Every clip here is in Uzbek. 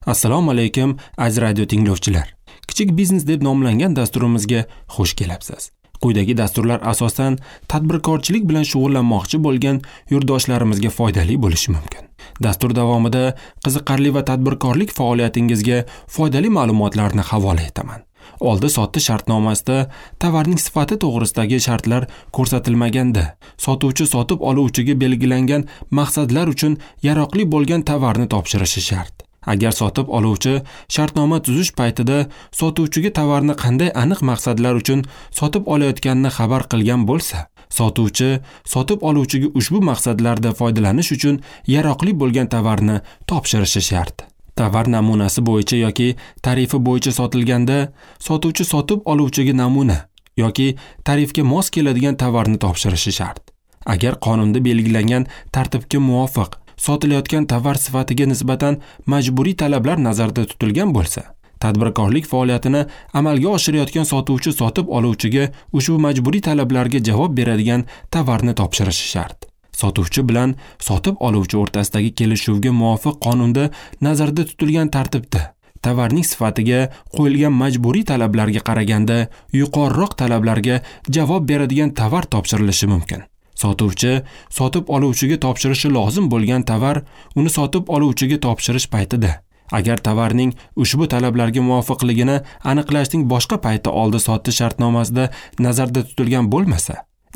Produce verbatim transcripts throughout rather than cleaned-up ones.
Assalomu alaykum aziz radio tinglovchilar. Kichik biznes deb nomlangan dasturimizga xush kelibsiz. Quyidagi dasturlar asosan tadbirkorchilik bilan shug'ullanmoqchi bo'lgan yurtdoshlarimizga foydali bo'lishi mumkin. Dastur davomida qiziqarli va tadbirkorlik faoliyatingizga foydali ma'lumotlarni havola etaman. Oldi-sotdi shartnomasida tovarning sifati to'g'risidagi shartlar ko'rsatilmaganda, sotuvchi sotib oluvchiga belgilangan maqsadlar uchun yaroqli bo'lgan tovarni topshirishi shart. Agar sotib oluvchi shartnoma tuzish paytida sotuvchiga tovarni qanday aniq maqsadlar uchun sotib olayotganini xabar qilgan bo'lsa, sotuvchi sotib oluvchiga ushbu maqsadlarda foydalanish uchun yaroqli bo'lgan tovarni topshirishi shart. Tovar namunasi bo'yicha yoki tarifi bo'yicha sotilganda, sotuvchi sotib oluvchiga namuna yoki tarifga mos keladigan tovarni topshirishi shart. Agar qonunda belgilangan tartibga muvofiq sotilayotgan tovar sifatiga nisbatan majburiy talablar nazarda tutilgan bo'lsa, tadbirkorlik faoliyatini amalga oshirayotgan sotuvchi sotib oluvchiga ushbu majburiy talablarga javob beradigan tovarni topshirishi shart. Sotuvchi bilan sotib oluvchi o'rtasidagi kelishuvga muvofiq qonunda nazarda tutilgan tartibda tovarning sifatiga qo'yilgan majburiy talablarga qaraganda yuqoriroq talablarga javob beradigan tovar topshirilishi mumkin. Sotuvchi sotib oluvchiga topshirishi lozim bo'lgan tovar uni sotib oluvchiga topshirish paytida, agar tovarning ushbu talablarga muvofiqligini aniqlashning boshqa payti oldi-sotdi shartnomasida nazarda tutilgan bo'lmasa,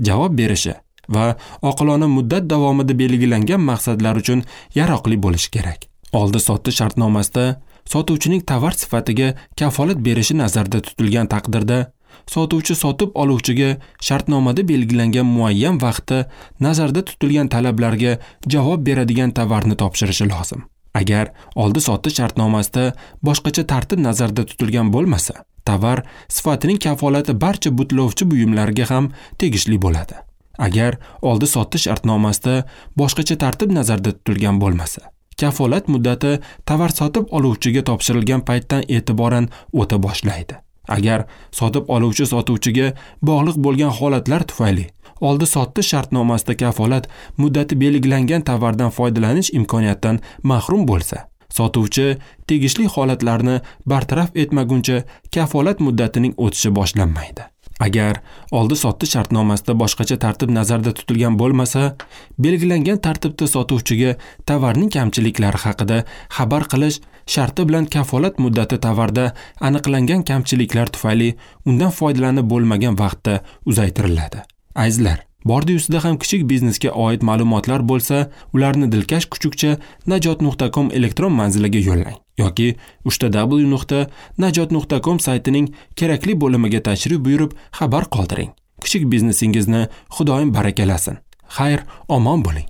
javob berishi va oqilona muddat davomida belgilangan maqsadlar uchun yaroqli bo'lishi kerak. Oldi-sotdi shartnomasida sotuvchining tovar sifatiga kafolat berishi nazarda tutilgan taqdirda, sotuvchi sotib oluvchiga shartnomada belgilangan muayyan vaqtda nazarda tutilgan talablarga javob beradigan tovarni topshirishi lozim. Agar oldi-sotdi shartnomasida boshqacha tartib nazarda tutilgan bo'lmasa, tovar sifatining kafolati barcha butlovchi buyumlarga ham tegishli bo'ladi. Agar oldi-sotdi shartnomasida boshqacha tartib nazarda tutilgan bo'lmasa, kafolat muddati tovar sotib oluvchiga topshirilgan paytdan e'tiboran o'ta boshlaydi. Agar sotib oluvchi sotuvchiga bog'liq bo'lgan holatlar tufayli oldi-sotdi shartnomasida kafolat muddati belgilangan tovardan foydalanish imkoniyatidan mahrum bo'lsa, sotuvchi tegishli holatlarni bartaraf etmaguncha kafolat muddatining o'tishi boshlanmaydi. Agar oldi-sotdi shartnomasida boshqacha tartib nazarda tutilgan bo'lmasa, belgilangan tartibda sotuvchiga tovarning kamchiliklari haqida xabar qilish sharti bilan kafolat muddati tovarda aniqlangan kamchiliklar tufayli undan foydalanib bo'lmagan vaqtda uzaytiriladi. Azizlar, bordi-ustida ham kichik biznesga oid ma'lumotlar bo'lsa, ularni dilkash kuchukcha najot nuqta com elektron manziliga yo'llang yoki uchta w nuqta najot nuqta com saytining kerakli bo'limiga tashrif buyurib xabar qoldiring. Kichik biznesingizni Xudoyim barakalasin. Xayr, omon bo'ling.